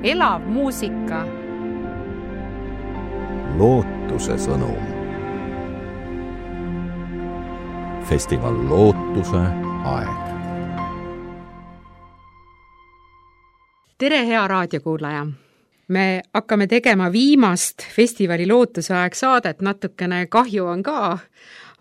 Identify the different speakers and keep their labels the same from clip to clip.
Speaker 1: elav muusika.
Speaker 2: Lootuse sõnum. Festival Lootuse aeg.
Speaker 1: Tere, hea raadiokuulaja! Me hakkame tegema viimast festivali Lootuse aeg saadet, natukene kahju on ka,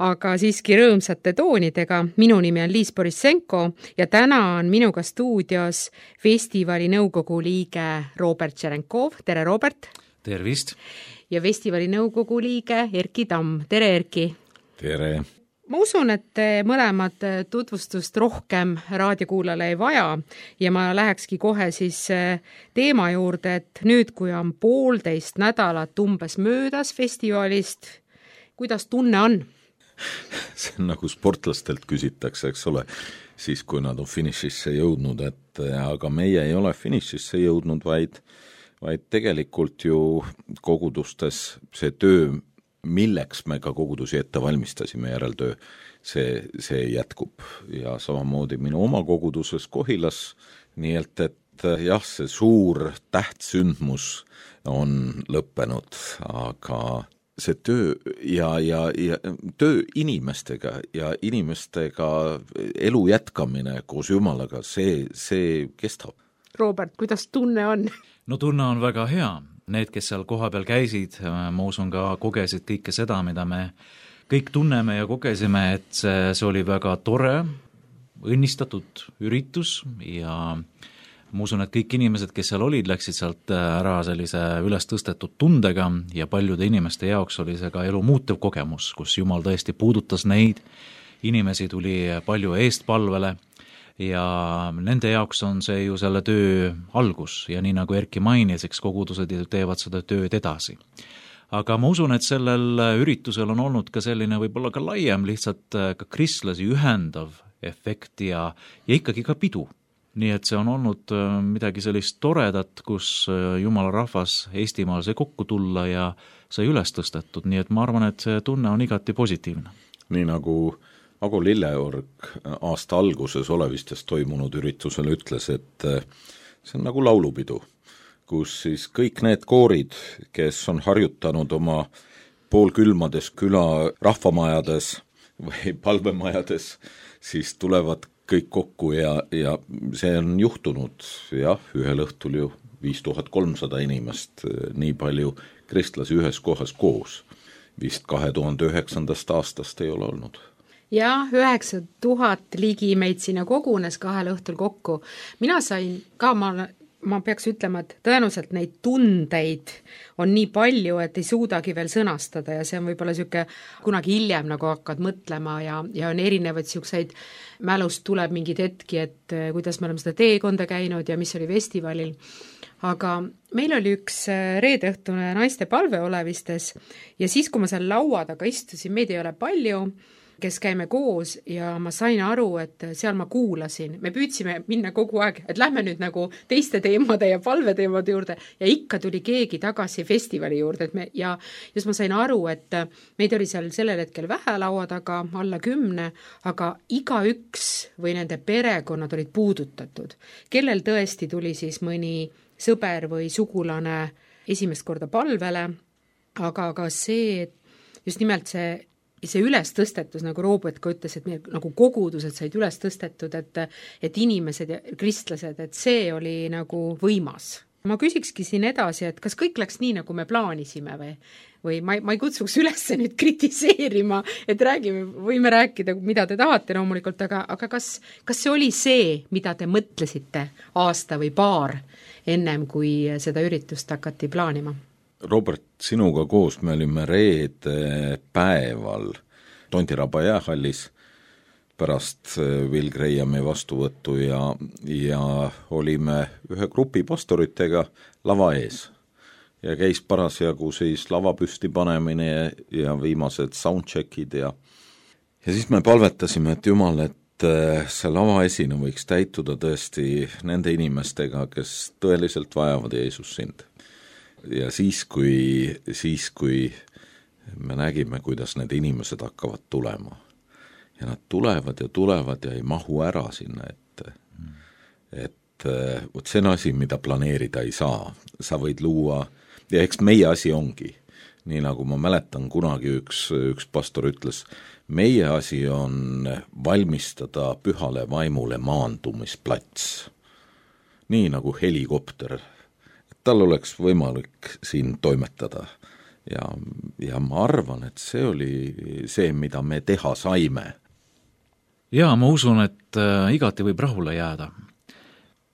Speaker 1: aga siiski rõõmsate toonidega. Minu nimi on Liis Borissenko ja täna on minuga stuudios festivali nõukogu liige Robert Tšerenkov. Tere, Robert!
Speaker 3: Tervist!
Speaker 1: Ja festivali nõukogu liige Erki Tamm. Tere, Erki!
Speaker 3: Tere!
Speaker 1: Ma usun, et te mõlemad tutvustust rohkem raadiokuulale ei vaja ja ma lähekski kohe siis teema juurde, et nüüd, kui on 1,5 nädalat umbes möödas festivalist, kuidas tunne on?
Speaker 3: See on nagu sportlastelt küsitakse, eks ole, siis kui nad on finišisse jõudnud, et aga meie ei ole finišisse jõudnud, vaid tegelikult ju kogudustes see töö, milleks me ka kogudusi ette valmistasime, järeltöö, see jätkub. Ja samamoodi minu oma koguduses Kohilas, nii et jah, see suur tähtsündmus on lõppenud, aga see töö ja töö inimestega ja inimestega elu jätkamine koos Jumalaga, see kestab.
Speaker 1: Robert, kuidas tunne on?
Speaker 4: No tunne on väga hea. Need, kes seal koha peal käisid, ma usun ka kogesid kõike seda, mida me kõik tunneme ja kogesime, et see oli väga tore, õnnistatud üritus ja ma usun, et kõik inimesed, kes seal olid, läksid sealt ära sellise üles tõstetud tundega ja paljude inimeste jaoks oli see ka elu muutev kogemus, kus Jumal tõesti puudutas neid, inimesi tuli palju eestpalvele ja nende jaoks on see ju selle töö algus ja nii nagu Erki mainis, eks kogudused teevad seda tööd edasi. Aga ma usun, et sellel üritusel on olnud ka selline võib-olla ka laiem lihtsalt ka kristlasi ühendav efekt ja ikkagi ka pidu. Nii et see on olnud midagi sellist toredat, kus Jumala rahvas Eestimaal sai kokku tulla ja sai üles tõstetud, nii et ma arvan, et see tunne on igati positiivne.
Speaker 3: Nii nagu Ago Lilleorg aasta alguses Olevistes toimunud üritusel ütles, et see on nagu laulupidu, kus siis kõik need koorid, kes on harjutanud oma poolkülmades küla rahvamajades või palvemajades, siis tulevad kõik kokku ja see on juhtunud, jah, ühel õhtul ju 5300 inimest, nii palju kristlasi ühes kohas koos. Vist 2009. aastast ei ole olnud.
Speaker 1: Ja 9000 ligi meid sinna kogunes 2 õhtul kokku. Mina sain ka, ma peaks ütlema, et tõenäoliselt neid tundeid on nii palju, et ei suudagi veel sõnastada ja see on võib-olla siuke kunagi hiljem nagu hakkad mõtlema ja on erinevaid siukseid, mälust tuleb mingid hetki, et kuidas me oleme seda teekonda käinud ja mis oli festivalil. Aga meil oli üks reedeõhtune naiste palve Olevistes ja siis, kui ma seal laua taga istusin, meid ei ole palju, kes käime koos ja ma sain aru, et seal ma kuulasin. Me püüdsime minna kogu aeg, et lähme nüüd nagu teiste teemade ja palveteemade juurde ja ikka tuli keegi tagasi festivali juurde. Ja just ma sain aru, et meid oli seal sellel hetkel vähe laua taga, alla 10, aga igaüks või nende perekonnad olid puudutatud. Kellel tõesti tuli siis mõni sõber või sugulane esimest korda palvele, aga ka see, just nimelt see üles tõstetus, nagu Robert ka ütles, et meie nagu kogudused said üles tõstetud, et inimesed ja kristlased, et see oli nagu võimas. Ma küsikski siin edasi, et kas kõik läks nii, nagu me plaanisime või ma ei kutsuks üles nüüd kritiseerima, et võime rääkida, mida te tahate loomulikult, aga kas see oli see, mida te mõtlesite aasta või paar ennem, kui seda üritust hakati plaanima?
Speaker 3: Robert, sinuga koos me olime reede päeval Tondiraba jäähallis pärast Will Grahami vastuvõttu ja olime ühe grupi pastoritega lava ees. Ja käis parasjagu siis lava püsti panemine ja viimased soundcheckid ja siis me palvetasime, et Jumal, et see lava esine võiks täituda tõesti nende inimestega, kes tõeliselt vajavad Jeesus sind. Ja siis, kui me nägime, kuidas need inimesed hakkavad tulema ja nad tulevad ja ei mahu ära sinna ette, et vot see on asi, mida planeerida ei saa. Sa võid luua, ja eks meie asi ongi, nii nagu ma mäletan kunagi üks pastor ütles, meie asi on valmistada pühale vaimule maandumisplats. Nii nagu helikopter, et tal oleks võimalik siin toimetada. Ja ma arvan, et see oli see, mida me teha saime.
Speaker 4: Jaa, ma usun, et igati võib rahule jääda.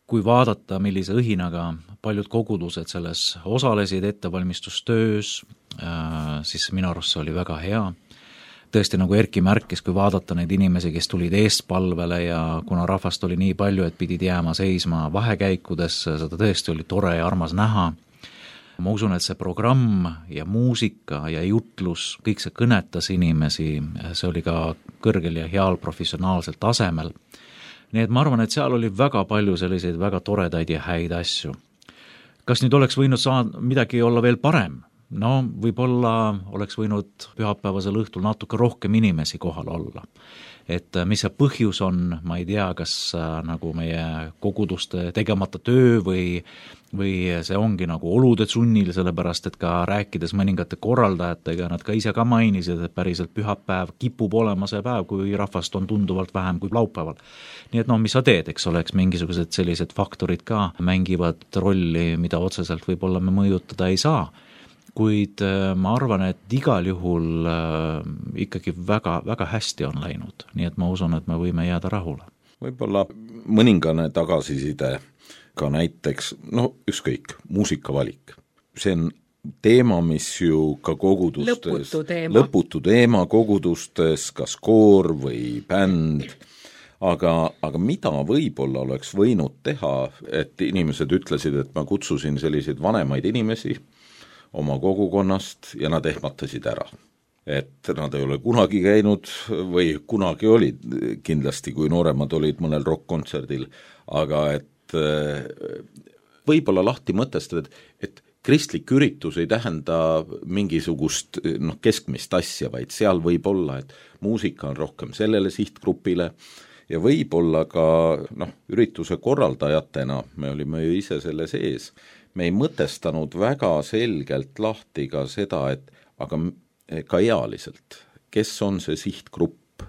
Speaker 4: Kui vaadata, millise õhinaga paljud kogudused selles osalesid ettevalmistustöös, siis minu arust see oli väga hea. Tõesti, nagu Erki märkis, kui vaadata neid inimesi, kes tulid eestpalvele ja kuna rahvast oli nii palju, et pidid jääma seisma vahekäikudesse, seda tõesti oli tore ja armas näha. Ma usun, et see programm ja muusika ja jutlus, kõik see kõnetas inimesi, see oli ka kõrgel ja heal professionaalsel tasemel. Nii et ma arvan, et seal oli väga palju selliseid väga toredaid ja häid asju. Kas nüüd oleks võinud midagi olla veel parem? No, võib-olla oleks võinud pühapäevasel õhtul natuke rohkem inimesi kohal olla. Et mis see põhjus on, ma ei tea, kas nagu meie koguduste tegemata töö või see ongi nagu olude sunnil, sellepärast et ka rääkides mõningate korraldajatega, nad ka ise ka mainisid, et päriselt pühapäev kipub olema see päev, kui rahvast on tunduvalt vähem kui laupäeval. Nii et mis sa teed, eks oleks mingisugused sellised faktorid ka mängivad rolli, mida otseselt võib-olla me mõjutada ei saa. Kuid ma arvan, et igal juhul ikkagi väga, väga hästi on läinud, nii et ma usun, et me võime jääda rahule.
Speaker 3: Võib-olla mõningane tagasiside ka näiteks, ükskõik, muusikavalik. See on teema, mis ju ka kogudustes, lõputu teema kogudustes, kas koor või bänd, aga mida võib-olla oleks võinud teha, et inimesed ütlesid, et ma kutsusin selliseid vanemaid inimesi oma kogukonnast ja nad ehmatasid ära. Et nad ei ole kunagi käinud või kunagi olid kindlasti, kui nooremad olid mõnel rock-kontserdil, aga et võib-olla lahti mõtestada, et kristlik üritus ei tähenda mingisugust keskmist asja, vaid seal võib olla, et muusika on rohkem sellele sihtgrupile ja võib-olla ka ürituse korraldajatena, me olime ju ise selle sees, me ei mõtestanud väga selgelt lahti ka seda, et aga ka ealiselt, kes on see sihtgrupp,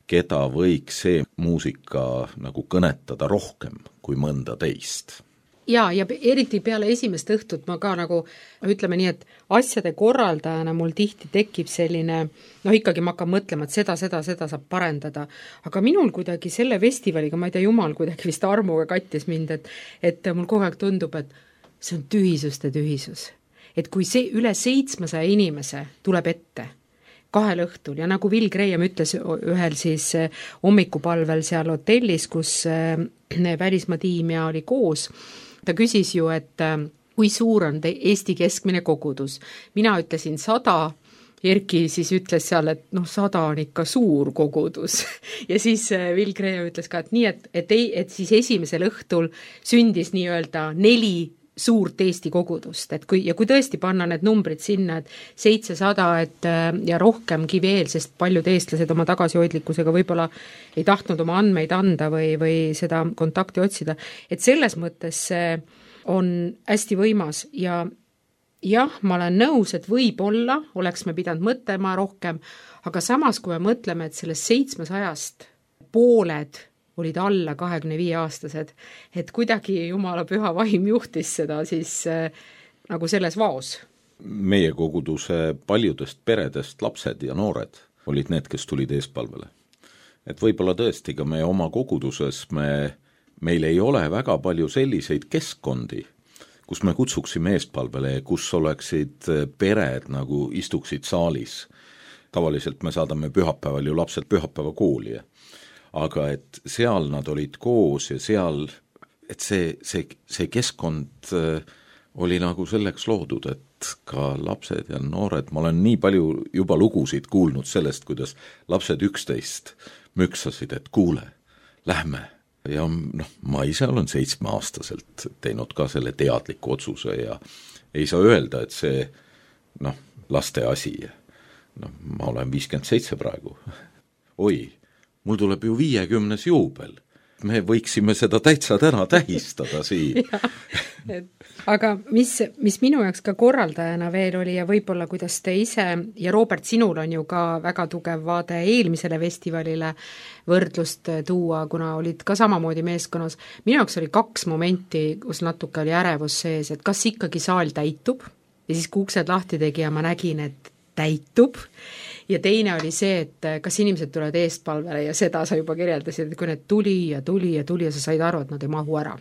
Speaker 3: keda võiks see muusika nagu kõnetada rohkem kui mõnda teist.
Speaker 1: Ja eriti peale esimest õhtut ma ka nagu, ütleme nii, et asjade korraldajana mul tihti tekib selline, ikkagi ma hakkan mõtlema, et seda saab parendada. Aga minul kuidagi selle festivaliga, ma ei tea, jumal kuidagi vist armuga kattis mind, et mul kogu aeg tundub, et see on tühisuste tühisus. Et kui see üle 700 inimese tuleb ette 2 õhtul ja nagu Will Graham ütles ühel siis hommikupalvel seal hotellis, kus välismaa tiim ja oli koos, ta küsis ju, et kui suur on Eesti keskmine kogudus. Mina ütlesin 100, Erki siis ütles seal, et 100 on ikka suur kogudus. Ja siis Will Graham ütles ka, et nii, et siis esimesel õhtul sündis nii-öelda 4 suurt Eesti kogudust, et kui tõesti panna need numbrid sinna, et 700 ja rohkemgi veel, sest paljud eestlased oma tagasihoidlikkusega võib-olla ei tahtnud oma andmeid anda või seda kontakti otsida, et selles mõttes see on hästi võimas ja jah, ma olen nõus, et võib-olla oleks me pidanud mõtlema rohkem, aga samas, kui me mõtleme, et sellest 700 pooled olid alla 25-aastased, et kuidagi Jumala püha vaim juhtis seda siis nagu selles vaos.
Speaker 3: Meie koguduse paljudest peredest lapsed ja noored olid need, kes tulid eespalvele. Et võib-olla tõesti ka meie oma koguduses meil ei ole väga palju selliseid keskkondi, kus me kutsuksime eespalvele, kus oleksid pered nagu istuksid saalis. Tavaliselt me saadame pühapäeval ju lapsed pühapäeva kooli, aga et seal nad olid koos ja seal, et see keskkond oli nagu selleks loodud, et ka lapsed ja noored, ma olen nii palju juba lugusid kuulnud sellest, kuidas lapsed 11 müksasid, et kuule, lähme. Ja ma ise olen 7-aastaselt teinud ka selle teadliku otsuse ja ei saa öelda, et see laste asi. Ma olen 57 praegu. Oi, mul tuleb ju 50 juubel. me võiksime seda täitsa täna tähistada siin.
Speaker 1: Aga mis minu jaoks ka korraldajana veel oli ja võib-olla kuidas te ise ja Robert, sinul on ju ka väga tugev vaade eelmisele festivalile võrdlust tuua, kuna olid ka samamoodi meeskonnas. Minu jaoks oli 2 momenti, kus natuke oli ärevus sees, et kas ikkagi saal täitub ja siis kui uksed lahti tegi ja ma nägin, et täitub. Ja teine oli see, et kas inimesed tulevad eestpalvele ja seda sa juba kirjeldasid, et kui need tuli ja sa said aru, et nad ei mahu ära.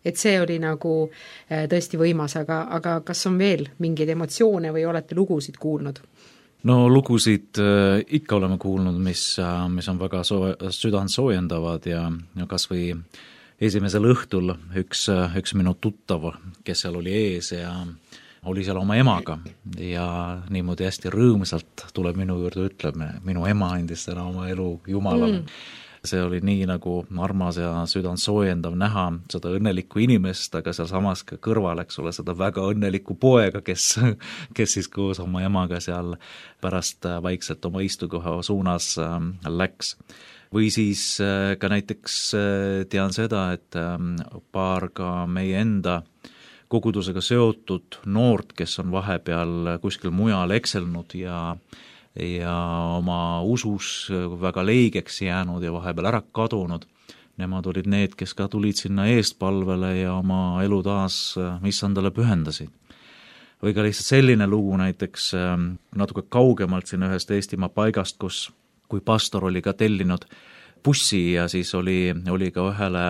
Speaker 1: Et see oli nagu tõesti võimas, aga kas on veel mingeid emotsioone või olete lugusid kuulnud?
Speaker 4: No lugusid ikka oleme kuulnud, mis on väga südant soojendavad ja kas või esimesel õhtul üks minu tuttav, kes seal oli ees ja oli seal oma emaga ja niimoodi hästi rõõmsalt tuleb minu juurde ütleb, minu ema andis täna oma elu Jumalale. See oli nii nagu armas ja südant soojendav näha seda õnnelikku inimest, aga seal samas ka kõrval, eks ole, seda väga õnnelikku poega, kes siis koos oma emaga seal pärast vaikselt oma istukoha suunas läks. Või siis ka näiteks tean seda, et paar ka meie enda kogudusega seotud noort, kes on vahepeal kuskil mujal ekselnud ja oma usus väga leigeks jäänud ja vahepeal ära kadunud. Nemad olid need, kes ka tulid sinna eestpalvele ja oma elu taas issandale pühendasid. Või ka lihtsalt selline lugu näiteks natuke kaugemalt siin ühest Eestimaa paigast, kui pastor oli ka tellinud bussi ja siis oli ka ühele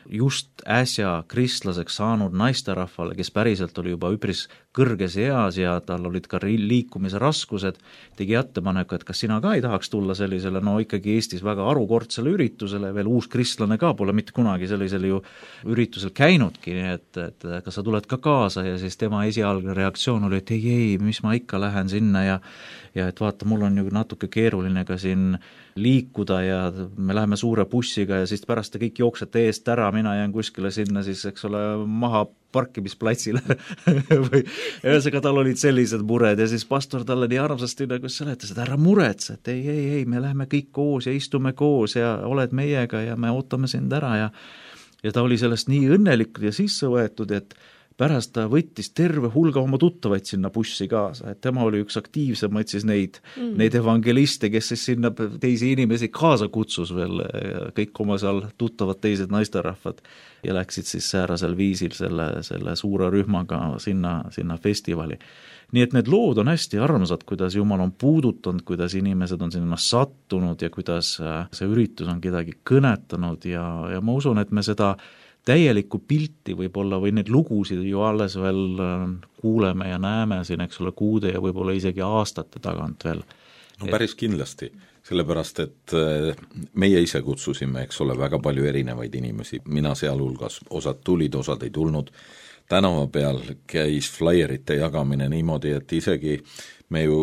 Speaker 4: just äsja kristlaseks saanud naisterahvale, kes päriselt oli juba üpris kõrges eas ja tal olid ka liikumise raskused, tegi ettepaneku, et kas sina ka ei tahaks tulla sellisele, no ikkagi Eestis väga arukordsele üritusele, veel uus kristlane ka pole mitte kunagi sellisel ju üritusel käinudki, et kas sa tuled ka kaasa ja siis tema esialgne reaktsioon oli, et ei, mis ma ikka lähen sinna ja et vaata, mul on ju natuke keeruline ka siin liikuda ja me läheme suure bussiga ja siis pärast te kõik jooksete eest ära, mina jään kuskile sinna siis, eks ole, maha parkimisplatsile või ühesõnaga tal olid sellised mured ja siis pastor talle nii armsasti nagu seletas, et ära muretse, et ei, me läheme kõik koos ja istume koos ja oled meiega ja me ootame sind ära ja ta oli sellest nii õnnelik ja sisse võetud, et pärast ta võttis terve hulga oma tuttavaid sinna bussi kaasa, et tema oli üks aktiivsemaid siis neid evangeliste, kes siis sinna teisi inimesi kaasa kutsus veel, kõik oma seal tuttavad teised naisterahvad ja läksid siis säärasel viisil selle suure rühmaga sinna festivali. Nii et need lood on hästi armsad, kuidas Jumal on puudutanud, kuidas inimesed on sinna sattunud ja kuidas see üritus on kedagi kõnetanud ja ma usun, et me seda täielikku pilti võib-olla või neid lugusid ju alles veel kuuleme ja näeme siin, eks ole, kuude ja võib-olla isegi aastate tagant veel.
Speaker 3: No päris kindlasti, sellepärast, et meie ise kutsusime, eks ole, väga palju erinevaid inimesi, mina sealhulgas, osad tulid, osad ei tulnud, tänava peal käis flyerite jagamine niimoodi, et isegi me ju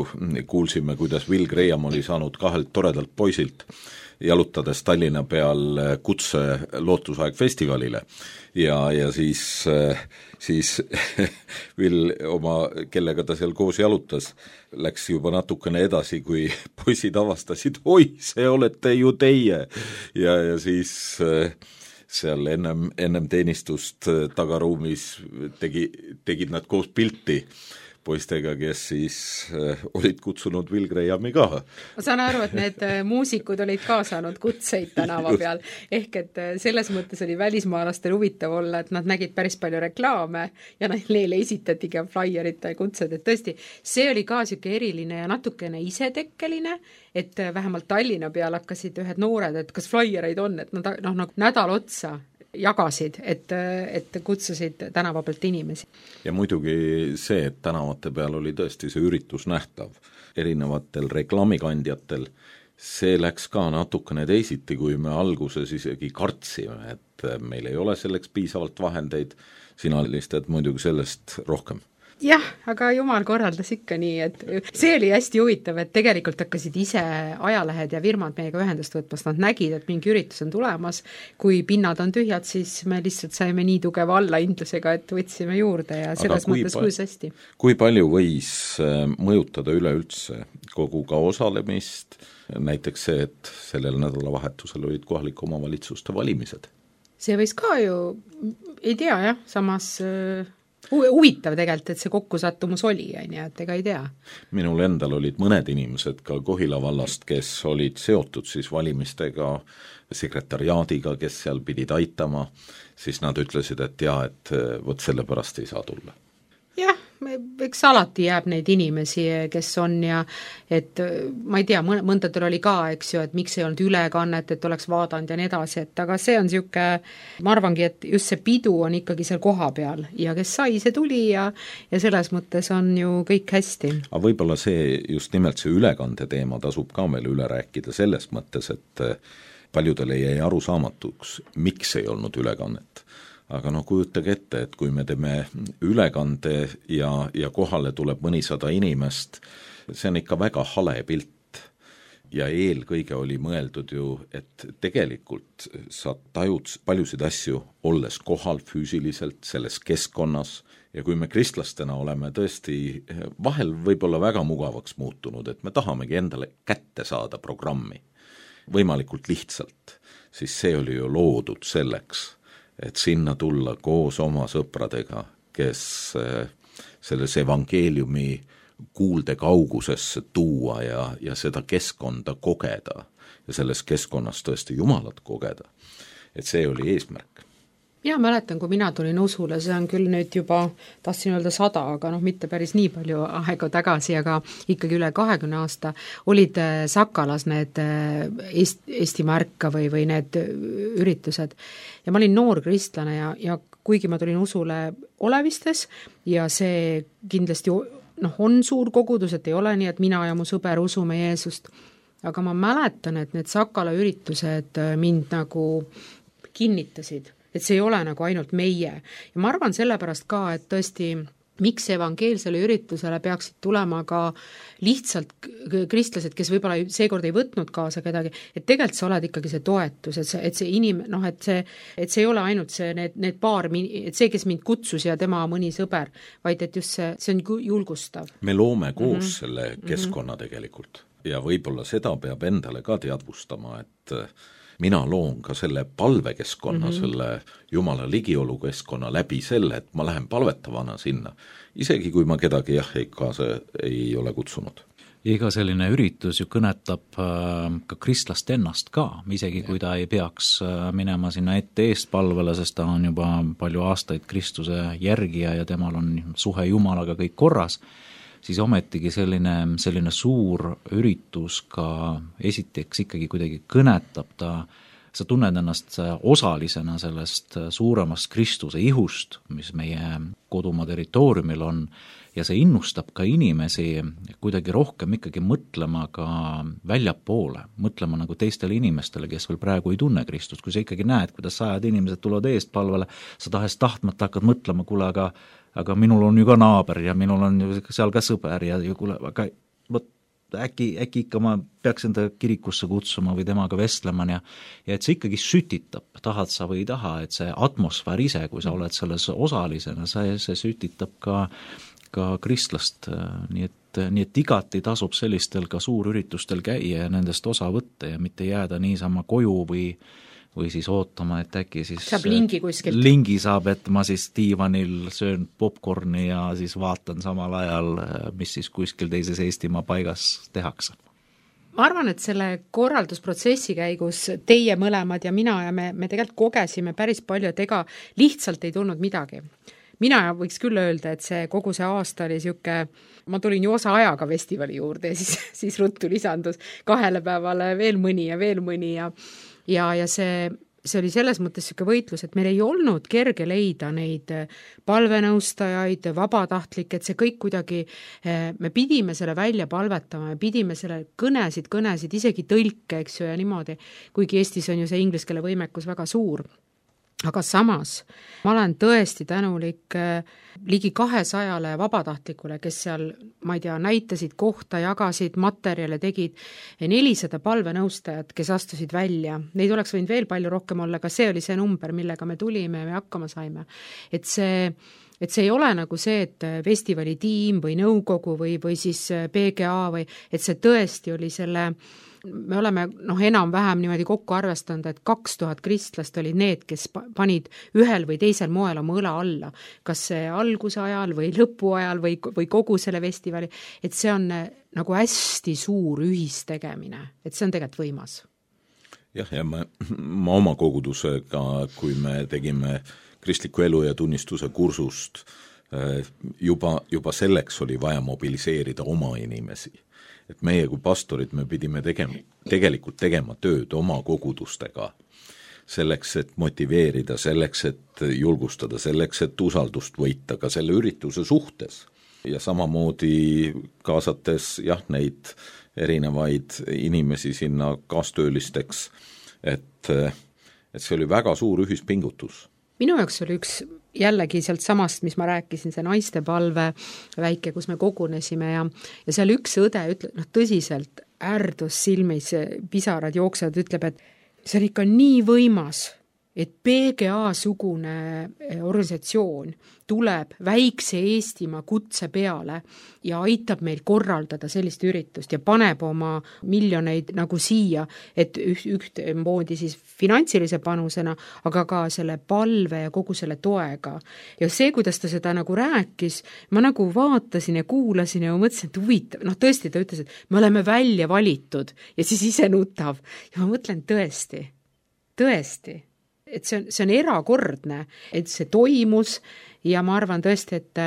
Speaker 3: kuulsime, kuidas Will Graham oli saanud 2 toredalt poisilt jalutades Tallinna peal kutse Lootusaeg festivalile ja siis Will kellega ta seal koos jalutas, läks juba natukene edasi, kui poisid avastasid, oi, see olete ju teie ja siis seal ennem teenistust tagaruumis tegid nad koos pilti poistega, kes siis olid kutsunud Will Grahami ka.
Speaker 1: Ma saan aru, et need muusikud olid ka saanud kutseid tänava peal, ehk et selles mõttes oli välismaalastel huvitav olla, et nad nägid päris palju reklaame ja neile esitatigi flyerite kutsed, et tõesti, see oli ka siuke eriline ja natukene isetekkeline, et vähemalt Tallinna peal hakkasid ühed noored, et kas flyereid on, et nad nagu nädal otsa jagasid, et kutsusid tänava pealt inimesi.
Speaker 3: Ja muidugi see, et tänavate peal oli tõesti see üritus nähtav erinevatel reklaamikandjatel, see läks ka natukene teisiti, kui me alguses isegi kartsime, et meil ei ole selleks piisavalt vahendeid, sina listad muidugi sellest rohkem.
Speaker 1: jah, aga jumal korraldas ikka nii, et see oli hästi huvitav, et tegelikult hakkasid ise ajalehed ja firmad meiega ühendust võtmast, nad nägid, et mingi üritus on tulemas, kui pinnad on tühjad, siis me lihtsalt saime nii tugeva allahindlusega, et võtsime juurde ja selles mõttes kuis hästi.
Speaker 3: Kui palju võis mõjutada üleüldse kogu ka osalemist, näiteks see, et sellel nädalavahetusel olid kohalike omavalitsuste valimised?
Speaker 1: See võis ka ju, ei tea jah, samas huvitav tegelikult, et see kokkusattumus oli, et ega ei tea.
Speaker 3: Minul endal olid mõned inimesed ka Kohila vallast, kes olid seotud siis valimistega, sekretariaadiga, kes seal pidid aitama, siis nad ütlesid, et jaa, et võt selle pärast ei saa tulla.
Speaker 1: Jah, eks alati jääb neid inimesi, kes on ja et ma ei tea, mõndadel oli ka, eks ju, et miks ei olnud ülekannet, et oleks vaadanud ja nii edasi, et aga see on siuke, ma arvangi, et just see pidu on ikkagi seal koha peal ja kes sai, see tuli ja selles mõttes on ju kõik hästi.
Speaker 3: Aga võib-olla see, just nimelt see ülekande teema tasub ka meil üle rääkida selles mõttes, et paljudele jäi arusaamatuks, miks ei olnud ülekannet. Aga kujutage ette, et kui me teeme ülekande ja kohale tuleb mõnisada inimest, see on ikka väga hale pilt. Ja eelkõige oli mõeldud ju, et tegelikult sa tajud paljusid asju olles kohal füüsiliselt selles keskkonnas ja kui me kristlastena oleme tõesti vahel võib-olla väga mugavaks muutunud, et me tahamegi endale kätte saada programmi võimalikult lihtsalt, siis see oli ju loodud selleks, et sinna tulla koos oma sõpradega, kes selles evangeeliumi kuulde kaugusesse tuua ja seda keskkonda kogeda ja selles keskkonnas tõesti Jumalat kogeda. Et see oli eesmärk.
Speaker 1: Ja mäletan, kui mina tulin usule, see on küll nüüd juba, tahtsin öelda 100, aga mitte päris nii palju aega tagasi, aga ikkagi üle 20 aasta olid Sakalas need Eesti märka või need üritused. Ja ma olin noor kristlane ja kuigi ma tulin usule Olevistes ja see kindlasti on suur kogudus, et ei ole nii, et mina ja mu sõber usume Jeesust, aga ma mäletan, et need Sakala üritused mind nagu kinnitasid, et see ei ole nagu ainult meie. Ja ma arvan sellepärast ka, et tõesti, miks evangeelsele üritusele peaksid tulema ka lihtsalt kristlased, kes võib-olla seekord ei võtnud kaasa kedagi, et tegelikult sa oled ikkagi see toetus, et see et see ei ole ainult see, need paar, et see, kes mind kutsus ja tema mõni sõber, vaid et just see on julgustav.
Speaker 3: Me loome koos selle keskkonna tegelikult ja võib-olla seda peab endale ka teadvustama, et mina loon ka selle palvekeskkonna, selle Jumala ligiolu keskkonna läbi selle, et ma lähen palvetavana sinna, isegi kui ma kedagi kaasa ei ole kutsunud.
Speaker 4: Iga selline üritus ju kõnetab ka kristlast ennast ka, isegi kui ta ei peaks minema sinna ette eestpalvele, sest ta on juba palju aastaid Kristuse järgija ja temal on suhe Jumalaga kõik korras, siis ometigi selline suur üritus ka esiteks ikkagi kuidagi kõnetab sa tunned ennast osalisena sellest suuremast Kristuse ihust, mis meie kodumaa territooriumil on, ja see innustab ka inimesi kuidagi rohkem ikkagi mõtlema ka väljapoole, mõtlema nagu teistele inimestele, kes veel praegu ei tunne Kristust, kui sa ikkagi näed, kuidas 100 inimesed tulevad eestpalvele, sa tahes tahtmata hakkad mõtlema, kuule, aga minul on ju ka naaber ja minul on ju seal ka sõber ja kuule, aga äkki ikka ma peaks enda kirikusse kutsuma või temaga vestlema ja et see ikkagi sütitab, tahad sa või ei taha, et see atmosfäär ise, kui sa oled selles osalisena, see sütitab ka kristlast, nii et igati tasub sellistel ka suurüritustel käia ja nendest osa võtta ja mitte jääda niisama koju või siis ootama, et äkki siis
Speaker 1: saab lingi kuskilt.
Speaker 4: Lingi saab, et ma siis diivanil söön popcorni ja siis vaatan samal ajal, mis siis kuskil teises Eestimaa paigas tehakse.
Speaker 1: Ma arvan, et selle korraldusprotsessi käigus teie mõlemad ja mina ja me tegelikult kogesime päris palju, et ega lihtsalt ei tulnud midagi. Mina võiks küll öelda, et see kogu see aasta oli siuke, ma tulin ju osa ajaga festivali juurde ja siis ruttu lisandus 2 päevale veel mõni ja see oli selles mõttes siuke võitlus, et meil ei olnud kerge leida neid palvenõustajaid, vabatahtlikke, et see kõik kuidagi, me pidime selle välja palvetama, me pidime selle kõnesid, isegi tõlke, eks ju, ja niimoodi, kuigi Eestis on ju see inglise keele võimekus väga suur. aga samas ma olen tõesti tänulik ligi 200 vabatahtlikule, kes seal, ma ei tea, näitasid kohta, jagasid, materjale tegid, 400 palvenõustajat, kes astusid välja. Neid oleks võinud veel palju rohkem olla, aga see oli see number, millega me tulime ja me hakkama saime. Et see ei ole nagu see, et festivali tiim või nõukogu või siis PGA või, et see tõesti oli selle, me oleme enam-vähem niimoodi kokku arvestanud, et 2000 kristlast olid need, kes panid ühel või teisel moel oma õla alla, kas see alguse ajal või lõpu ajal või kogu selle festivali, et see on nagu hästi suur ühistegemine, et see on tegelikult võimas.
Speaker 3: Jah, ja ma oma kogudusega, kui me tegime kristliku elu ja tunnistuse kursust, juba selleks oli vaja mobiliseerida oma inimesi. Et meie kui pastorid me pidime tegelikult tegema tööd oma kogudustega, selleks, et motiveerida, selleks, et julgustada, selleks, et usaldust võita ka selle ürituse suhtes. Ja samamoodi kaasates neid erinevaid inimesi sinna kaastöölisteks, et see oli väga suur ühispingutus.
Speaker 1: Minu jaoks oli üks jällegi sealt samast, mis ma rääkisin, see naistepalve väike, kus me kogunesime ja seal üks õde ütleb, tõsiselt ärdus silmis, pisarad jooksevad, ütleb, et see on ikka nii võimas, et PGA-sugune organisatsioon tuleb väikse Eestimaa kutse peale ja aitab meil korraldada sellist üritust ja paneb oma miljoneid nagu siia, et ühtmoodi siis finantsilise panusena, aga ka selle palve ja kogu selle toega. Ja see, kuidas ta seda nagu rääkis, ma nagu vaatasin ja kuulasin ja mõtlesin, et huvitav, tõesti ta ütles, et me oleme välja valitud ja siis ise nutav. Ja ma mõtlen tõesti, et see on erakordne, et see toimus ja ma arvan tõesti, et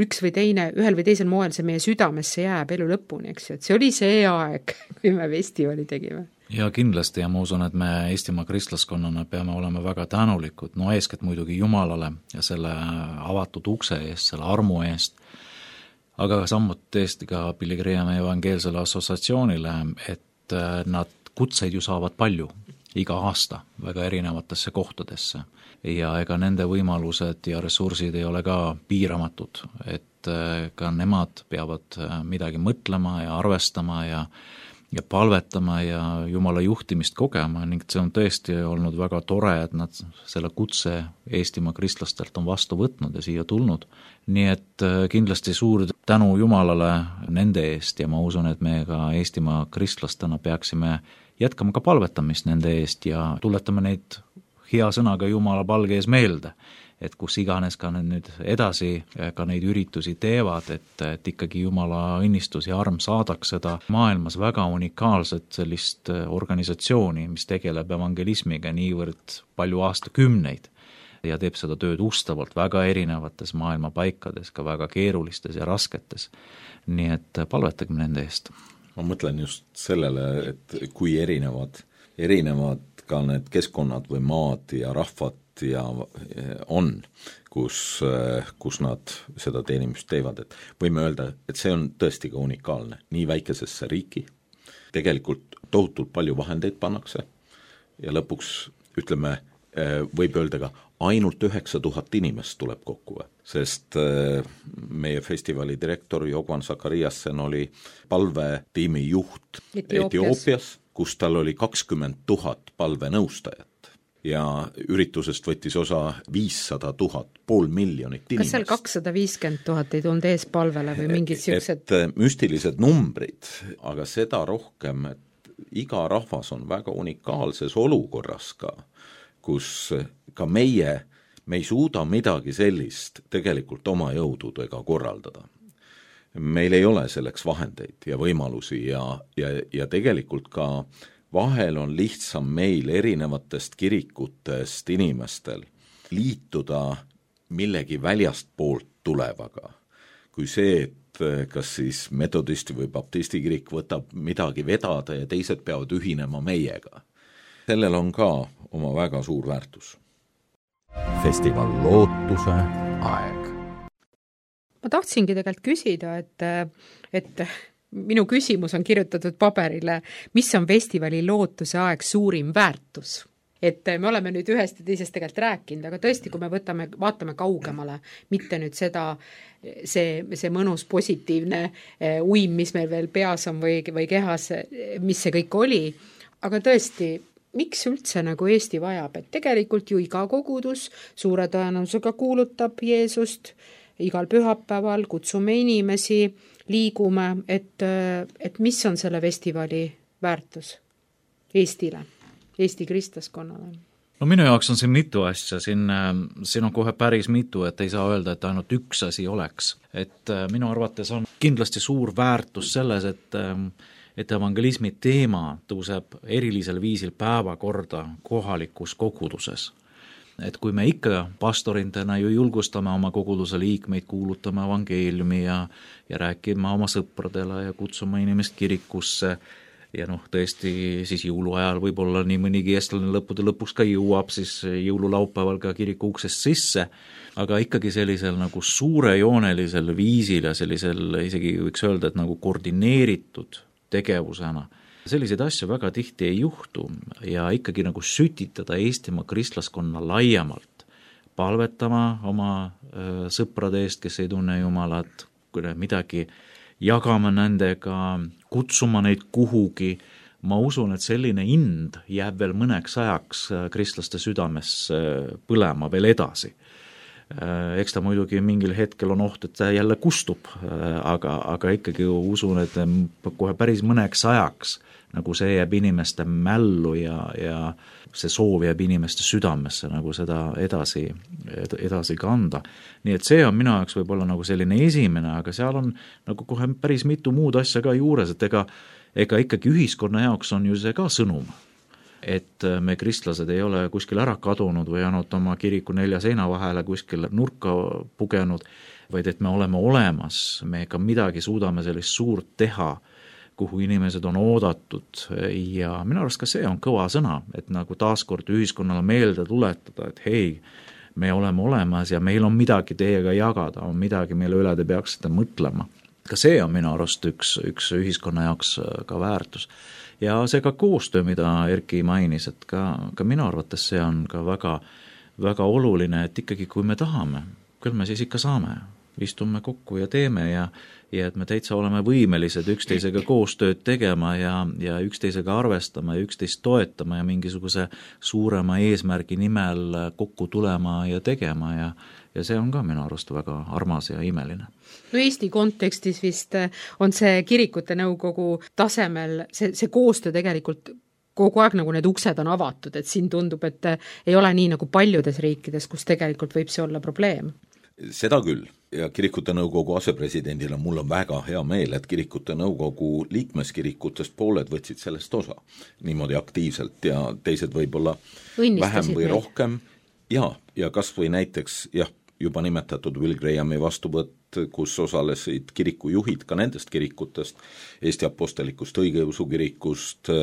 Speaker 1: üks või teine, ühel või teisel moel see meie südamesse jääb elu lõpuni, eks ju, et see oli see aeg, kui me festivali tegime.
Speaker 4: Ja kindlasti ja ma usun, et me Eestimaa kristlaskonnana peame olema väga tänulikud, eeskätt muidugi Jumalale ja selle avatud ukse eest, selle armu eest, aga samuti tõesti ka Pilgrimide evangeelsele assotsiatsioonile, et nad kutseid ju saavad palju iga aasta väga erinevatesse kohtadesse ja ega nende võimalused ja ressursid ei ole ka piiramatud, et ka nemad peavad midagi mõtlema ja arvestama ja palvetama ja Jumala juhtimist kogema ning see on tõesti olnud väga tore, et nad selle kutse Eestimaa kristlastelt on vastu võtnud ja siia tulnud. Nii et kindlasti suur tänu Jumalale nende eest ja ma usun, et me ka Eestimaa kristlastena peaksime jätkame ka palvetamist nende eest ja tuletame neid hea sõnaga Jumala palge ees meelde, et kus iganes ka nüüd edasi ka neid üritusi teevad, et ikkagi Jumala õnnistus ja arm saadaks seda maailmas väga unikaalset sellist organisatsiooni, mis tegeleb evangelismiga niivõrd palju aastakümneid ja teeb seda tööd ustavalt väga erinevates maailma paikades, ka väga keerulistes ja rasketes. Nii et palvetagem nende eest.
Speaker 3: Ma mõtlen just sellele, et kui erinevad ka need keskkonnad või maad ja rahvad ja on, kus nad seda teenimist teevad, et võime öelda, et see on tõesti ka unikaalne. Nii väikesesse riiki, tegelikult tohutult palju vahendeid pannakse ja lõpuks, ütleme, võib öelda ka ainult 9000 inimest tuleb kokku, sest meie festivali direktor Jogvan Sakariasen oli palvetiimi juht Etioopias, kus tal oli 20 000 palvenõustajat ja üritusest võttis osa 500 000, 500 000 inimest.
Speaker 1: Kas seal 250 000 ei tulnud ees palvele või mingid siuksed?
Speaker 3: Et müstilised numbrid, aga seda rohkem, et iga rahvas on väga unikaalses olukorras ka, kus ka me ei suuda midagi sellist tegelikult oma jõududega korraldada. Meil ei ole selleks vahendeid ja võimalusi ja tegelikult ka vahel on lihtsam meil erinevatest kirikutest inimestel liituda millegi väljast poolt tulevaga, kui see, et kas siis metodisti või baptisti kirik võtab midagi vedada ja teised peavad ühinema meiega. Sellel on ka oma väga suur väärtus.
Speaker 2: Festival Lootuse aeg.
Speaker 1: Ma tahtsingi tegelikult küsida, et minu küsimus on kirjutatud paberile, mis on festivali Lootuse aeg suurim väärtus? et me oleme nüüd ühest ja teisest tegelikult rääkinud, aga tõesti, kui me vaatame kaugemale, mitte nüüd see mõnus positiivne uim, mis meil veel peas on või kehas, mis see kõik oli, aga tõesti, miks üldse nagu Eesti vajab, et tegelikult ju iga kogudus suure tõenäosusega kuulutab Jeesust, igal pühapäeval kutsume inimesi, liigume, et mis on selle festivali väärtus Eestile, Eesti kristlaskonnale?
Speaker 4: No minu jaoks on siin mitu asja, siin on kohe päris mitu, et ei saa öelda, et ainult üks asi oleks. Et minu arvates on kindlasti suur väärtus selles, et evangelismi teema tõuseb erilisel viisil päevakorda kohalikus koguduses. Et kui me ikka pastorintena ju julgustame oma koguduse liikmeid, kuulutame evangeeliumi ja rääkima oma sõpradele ja kutsuma inimest kirikusse ja tõesti siis jõuluajal võib-olla nii mõnigi eestlane lõppude lõpuks ka jõuab siis jõululaupäeval ka kiriku uksest sisse, aga ikkagi sellisel nagu suurejoonelisel viisil ja sellisel isegi võiks öelda, et nagu koordineeritud tegevusena. Selliseid asju väga tihti ei juhtu ja ikkagi nagu sütitada Eestimaa kristlaskonna laiemalt, palvetama oma sõprade eest, kes ei tunne Jumalat, midagi jagama nendega, kutsuma neid kuhugi. Ma usun, et selline ind jääb veel mõneks ajaks kristlaste südames põlema veel edasi. Eks ta muidugi mingil hetkel on oht, et ta jälle kustub, aga ikkagi usun, et kohe päris mõneks ajaks nagu see jääb inimeste mällu ja see soov jääb inimeste südamesse nagu seda edasi kanda. Nii et see on minu jaoks võib-olla nagu selline esimene, aga seal on nagu kohe päris mitu muud asja ka juures, et ega ikkagi ühiskonna jaoks on ju see ka sõnum, et me kristlased ei ole kuskil ära kadunud või ainult oma kiriku 4 seina vahele kuskil nurka pugenud, vaid et me oleme olemas, me ka midagi suudame sellist suurt teha, kuhu inimesed on oodatud ja minu arust ka see on kõva sõna, et nagu taaskord ühiskonnale meelde tuletada, et hei, me oleme olemas ja meil on midagi teiega jagada, on midagi, mille üle te peaksite mõtlema. Ka see on minu arust üks ühiskonna jaoks ka väärtus. Ja see ka koostöö, mida Erki mainis, et ka minu arvates see on ka väga, väga oluline, et ikkagi kui me tahame, küll me siis ikka saame. Istume kokku ja teeme ja et me täitsa oleme võimelised üksteisega koostööd tegema ja üksteisega arvestama ja üksteist toetama ja mingisuguse suurema eesmärgi nimel kokku tulema ja tegema ja see on ka minu arust väga armas ja imeline.
Speaker 1: No Eesti kontekstis vist on see kirikute nõukogu tasemel, see koostöö tegelikult kogu aeg nagu need uksed on avatud, et siin tundub, et ei ole nii nagu paljudes riikides, kus tegelikult võib see olla probleem.
Speaker 3: Seda küll ja kirikute nõukogu asepresidendina mul on väga hea meel, et kirikute nõukogu liikmeskirikutest pooled võtsid sellest osa niimoodi aktiivselt ja teised võib-olla vähem või rohkem ja kas või näiteks juba nimetatud Will Grahami vastuvõtt, kus osalesid kirikujuhid ka nendest kirikutest, Eesti Apostelikust Õigeusu kirikust,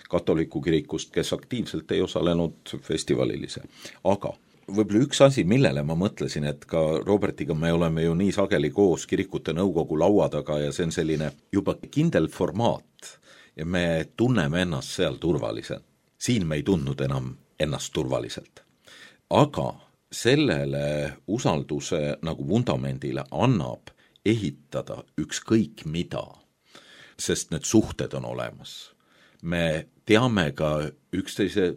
Speaker 3: katoliku kirikust, kes aktiivselt ei osalenud festivalilise, aga võib-olla üks asi, millele ma mõtlesin, et ka Robertiga me oleme ju nii sageli koos kirikute nõukogu laua taga ja see on selline juba kindel formaat ja me tunneme ennast seal turvaliselt. Siin me ei tundnud enam ennast turvaliselt. Aga sellele usalduse nagu vundamendile annab ehitada ükskõik mida, sest need suhted on olemas. Me teame ka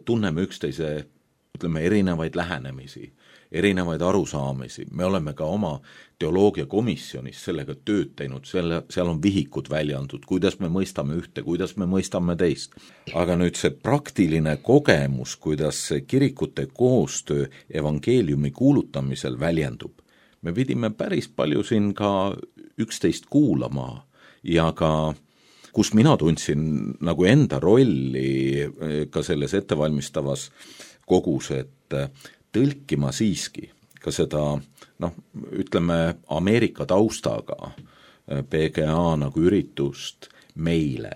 Speaker 3: tunneme üksteise ütleme erinevaid lähenemisi, erinevaid arusaamisi, me oleme ka oma teoloogiakomisjonis sellega tööd teinud, seal on vihikud välja antud, kuidas me mõistame ühte, kuidas me mõistame teist. Aga nüüd see praktiline kogemus, kuidas see kirikute koostöö evangeeliumi kuulutamisel väljendub, me pidime päris palju siin ka üksteist kuulama ja ka kus mina tundsin nagu enda rolli ka selles ettevalmistavas kogus, et tõlkima siiski ka seda, ütleme Ameerika taustaga PGA nagu üritust meile,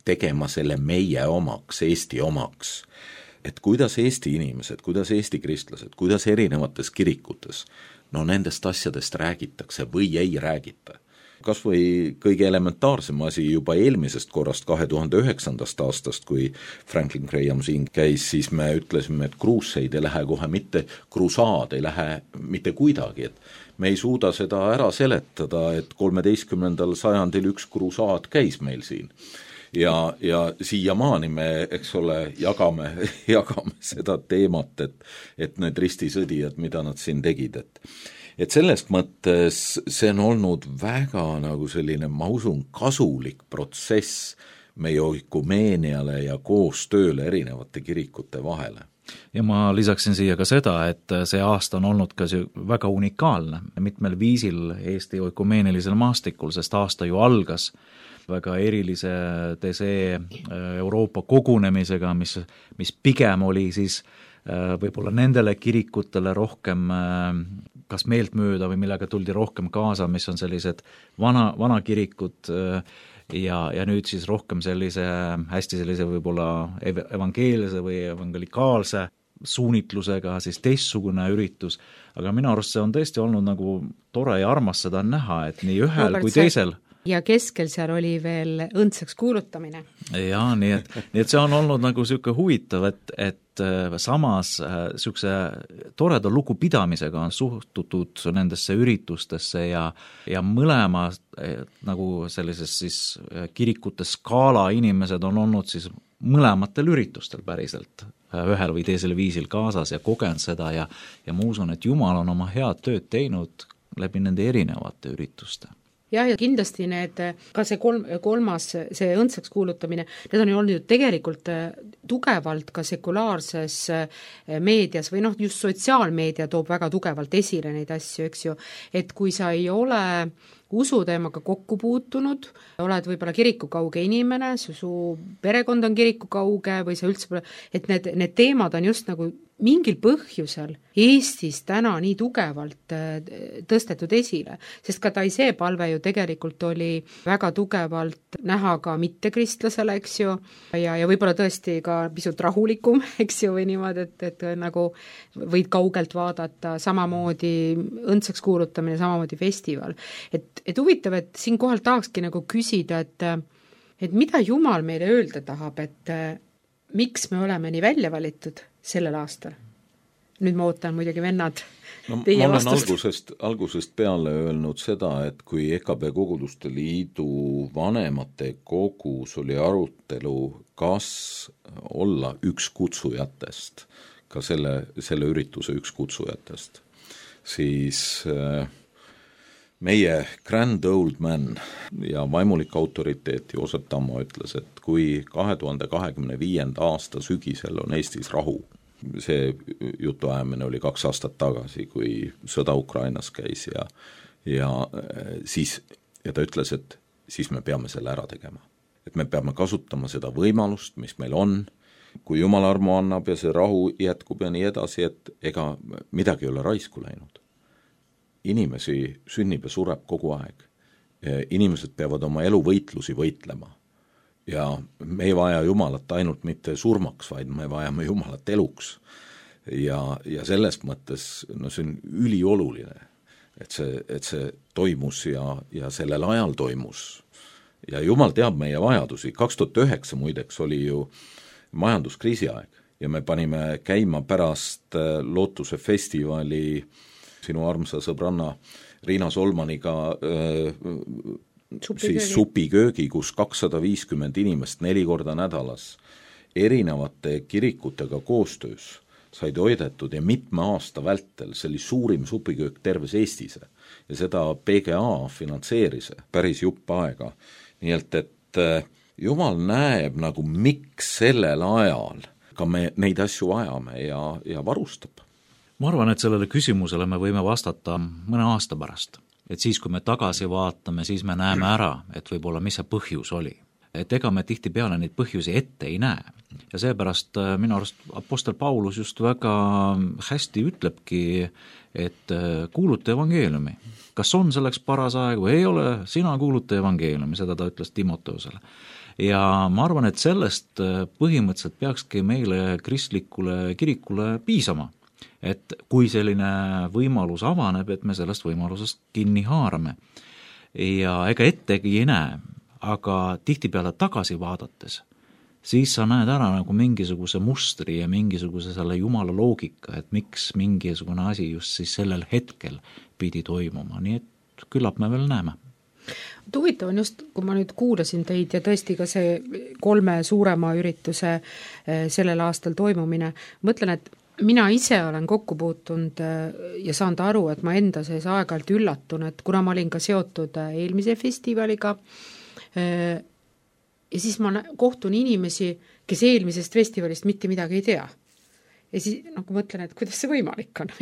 Speaker 3: tegema selle meie omaks, Eesti omaks, et kuidas Eesti inimesed, kuidas Eesti kristlased, kuidas erinevates kirikutes, nendest asjadest räägitakse või ei räägita. kas või kõige elementaarsem asi juba eelmisest korrast 2009. aastast, kui Franklin Graham siin käis, siis me ütlesime, et crusade ei lähe kohe mitte, crusaad ei lähe mitte kuidagi, et me ei suuda seda ära seletada, et 13. sajandil üks crusaad käis meil siin. Ja siiamaani me, eks ole, jagame seda teemat, et need ristisõdijad, mida nad siin tegid, et sellest mõttes see on olnud väga nagu selline, ma usun, kasulik protsess meie oikumeeniale ja koostööle erinevate kirikute vahele.
Speaker 4: Ja ma lisaksin siia ka seda, et see aasta on olnud ka väga unikaalne mitmel viisil Eesti oikumeenilisel maastikul, sest aasta ju algas väga erilise TSE Euroopa kogunemisega, mis pigem oli siis võib-olla nendele kirikutele rohkem kas meeltmööda või millega tuldi rohkem kaasa, mis on sellised vana kirikud ja nüüd siis rohkem hästi sellise võib-olla evangeelse või evangelikaalse suunitlusega siis teistsugune üritus, aga minu arust see on tõesti olnud nagu tore ja armas seda näha, et nii ühel kui teisel.
Speaker 1: Ja keskel seal oli veel õndsaks kuulutamine.
Speaker 4: Jaa, nii et see on olnud nagu selline huvitav, et samas selline toreda lugupidamisega on suhtutud nendesse üritustesse ja mõlema nagu sellises siis kirikute skaala inimesed on olnud siis mõlematel üritustel päriselt ühel või teisel viisil kaasas ja kogenud seda ja ma usun, et Jumal on oma head tööd teinud läbi nende erinevate ürituste.
Speaker 1: Jah, ja kindlasti ka see kolmas, see õndsaks kuulutamine, need on ju olnud ju tegelikult tugevalt ka sekulaarses meedias või just sotsiaalmeedia toob väga tugevalt esile neid asju, eks ju, et kui sa ei ole usuteemaga kokku puutunud, oled võib-olla kirikukauge inimene, su perekond on kirikukauge või sa üldse pole, et need teemad on just nagu mingil põhjusel Eestis täna nii tugevalt tõstetud esile, sest ka Taizé palve ju tegelikult oli väga tugevalt näha ka mittekristlasele, eks ju, ja võib-olla tõesti ka pisut rahulikum, eks ju, või niimoodi, et nagu võid kaugelt vaadata, samamoodi õndsaks kuulutamine, samamoodi festival. Et huvitav, et siinkohal tahakski nagu küsida, et mida Jumal meile öelda tahab, et miks me oleme nii välja valitud sellel aastal? Nüüd ma ootan muidugi vennad teie vastust.
Speaker 3: Ma olen algusest peale öelnud seda, et kui EKB Koguduste Liidu vanemate kogus oli arutelu, kas olla üks kutsujatest, ka selle ürituse üks kutsujatest, siis meie grand old man ja vaimulik autoriteet Joosep Tammo ütles, et kui 2025. aasta sügisel on Eestis rahu, see jutuajamine oli 2 aastat tagasi, kui sõda Ukrainas käis ja ta ütles, et siis me peame selle ära tegema. Et me peame kasutama seda võimalust, mis meil on, kui Jumal armu annab ja see rahu jätkub ja nii edasi, et ega midagi ei ole raisku läinud. Inimesi sünnib ja sureb kogu aeg. Inimesed peavad oma eluvõitlusi võitlema. Ja me ei vaja Jumalat ainult mitte surmaks, vaid me vajame Jumalat eluks. Ja selles mõttes see on ülioluline, et see toimus ja sellel ajal toimus. Ja Jumal teab meie vajadusi. 2009 muideks oli ju majanduskriisi aeg ja me panime käima pärast Lootuse festivali sinu armsa sõbranna Riina Solmaniga siis supiköögi, kus 250 inimest 4 korda nädalas erinevate kirikutega koostöös said hoidetud ja mitme aasta vältel, see oli suurim supiköök terves Eestis ja seda PGA finantseeris päris jupp aega. Nii et Jumal näeb nagu miks sellel ajal ka me neid asju vajame ja varustab.
Speaker 4: Ma arvan, et sellele küsimusele me võime vastata mõne aasta pärast. Et siis, kui me tagasi vaatame, siis me näeme ära, et võib-olla mis see põhjus oli. Et ega me tihtipeale neid põhjusi ette ei näe. Ja seepärast minu arust apostel Paulus just väga hästi ütlebki, et kuuluta evangeeliumi. Kas on selleks paras aeg või ei ole, sina kuuluta evangeeliumi, seda ta ütles Timoteusele. Ja ma arvan, et sellest põhimõtteliselt peakski meile kristlikule kirikule piisama. Et kui selline võimalus avaneb, et me sellest võimalusest kinni haarame. ja ega ettegi ei näe, aga tihtipeale tagasi vaadates, siis sa näed ära nagu mingisuguse mustri ja mingisuguse selle jumala loogika, et miks mingisugune asi just siis sellel hetkel pidi toimuma, nii et küllap me veel näeme.
Speaker 1: Huvitav on just, kui ma nüüd kuulasin teid ja tõesti ka see 3 suurema ürituse sellel aastal toimumine, mõtlen, et mina ise olen kokku puutunud ja saanud aru, et ma enda sees aeg-ajalt üllatun, et kuna ma olin ka seotud eelmise festivaliga ja siis ma kohtun inimesi, kes eelmisest festivalist mitte midagi ei tea. Ja siis nagu mõtlen, et kuidas see võimalik on,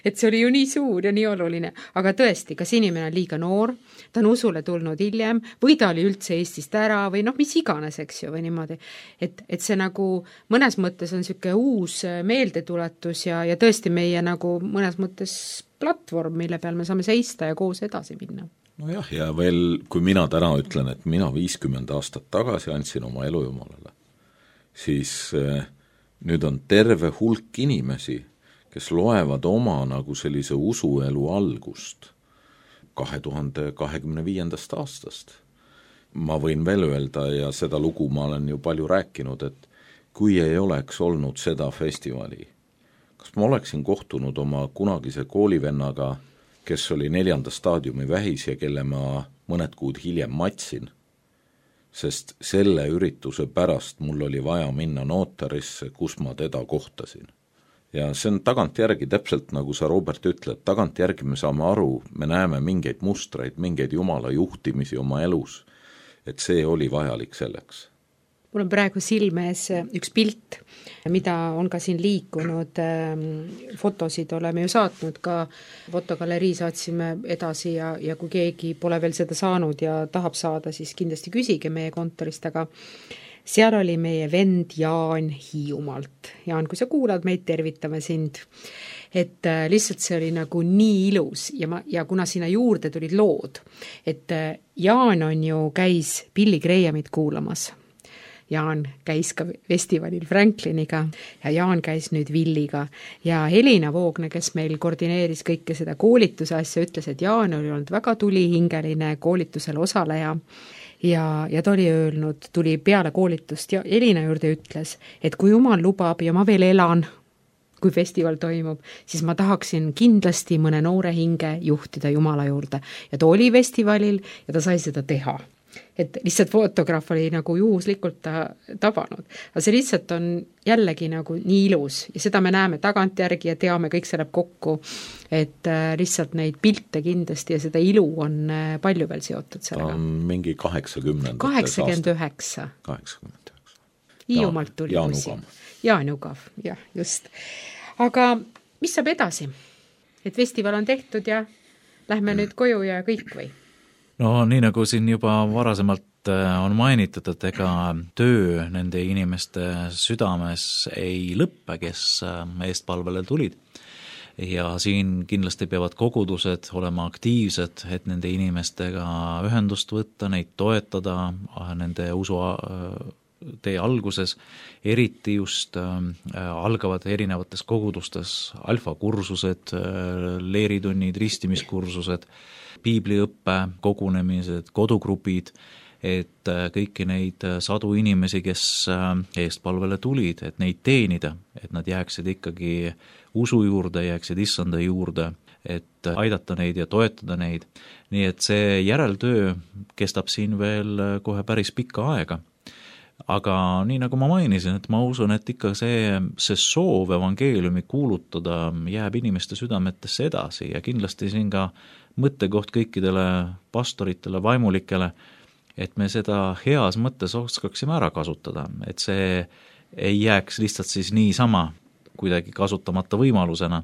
Speaker 1: et see oli ju nii suur ja nii oluline, aga tõesti, kas inimene on liiga noor, ta on usule tulnud hiljem või ta oli üldse Eestist ära või mis iganes, eks ju, või niimoodi. Et see nagu mõnes mõttes on niisugune uus meeldetuletus ja tõesti meie nagu mõnes mõttes platvorm, mille peal me saame seista ja koos edasi minna.
Speaker 3: Nojah, ja veel, kui mina täna ütlen, et mina 50 aastat tagasi andsin oma elu Jumalale, siis nüüd on terve hulk inimesi, kes loevad oma nagu sellise usuelu algust 2025. aastast. Ma võin veel öelda ja seda lugu ma olen ju palju rääkinud, et kui ei oleks olnud seda festivali, kas ma oleksin kohtunud oma kunagise koolivennaga, kes oli 4. staadiumi vähis ja kelle ma mõned kuud hiljem matsin, sest selle ürituse pärast mul oli vaja minna notarisse, kus ma teda kohtasin. Ja see on tagantjärgi, täpselt nagu sa, Robert, ütled, tagantjärgi me saame aru, me näeme mingeid mustreid, mingeid Jumala juhtimisi oma elus, et see oli vajalik selleks.
Speaker 1: Mul on praegu silme ees üks pilt, mida on ka siin liikunud, fotosid oleme ju saatnud, ka fotogalerii saatsime edasi ja kui keegi pole veel seda saanud ja tahab saada, siis kindlasti küsige meie kontorist, aga seal oli meie vend Jaan Hiiumaalt. Jaan, kui sa kuulad meid, tervitame sind. Et lihtsalt see oli nagu nii ilus ja kuna sinna juurde tulid lood, et Jaan on ju käis Billy Grahamit kuulamas. Jaan käis ka festivalil Frankliniga ja Jaan käis nüüd Villiga ja Helina Voogne, kes meil koordineeris kõike seda koolituse asja, ütles, et Jaan oli olnud väga tulihingeline koolitusel osaleja ja ta oli öelnud, tuli peale koolitust ja Helina juurde ütles, et kui Jumal lubab ja ma veel elan, kui festival toimub, siis ma tahaksin kindlasti mõne noore hinge juhtida Jumala juurde ja ta oli festivalil ja ta sai seda teha. Et lihtsalt fotograaf oli nagu juhuslikult tabanud. Aga see lihtsalt on jällegi nagu nii ilus ja seda me näeme tagantjärgi ja teame, kõik see läheb kokku, et lihtsalt neid pilte kindlasti ja seda ilu on palju veel seotud sellega.
Speaker 3: Ta on mingi 89.
Speaker 1: 89. Hiiumalt tuli. Jaan Ugav, jah, just. Aga mis saab edasi? Et festival on tehtud ja lähme nüüd koju ja kõik või?
Speaker 4: No nii nagu siin juba varasemalt on mainitud, et ega töö nende inimeste südames ei lõppe, kes eestpalvele tulid. Ja siin kindlasti peavad kogudused olema aktiivsed, et nende inimestega ühendust võtta, neid toetada, nende usu tee alguses, eriti just algavad erinevates kogudustes alfakursused, leeritunnid, ristimiskursused, piibliõppe, kogunemised, kodugrupid, et kõiki neid sadu inimesi, kes eestpalvele tulid, et neid teenida, et nad jääksid ikkagi usu juurde, jääksid issanda juurde, et aidata neid ja toetada neid. Nii et see järeltöö kestab siin veel kohe päris pikka aega. Aga nii nagu ma mainisin, et ma usun, et ikka see soov evangeeliumi kuulutada jääb inimeste südametesse edasi ja kindlasti siin ka mõttekoht kõikidele pastoritele, vaimulikele, et me seda heas mõttes oskaksime ära kasutada, et see ei jääks lihtsalt siis niisama kuidagi kasutamata võimalusena,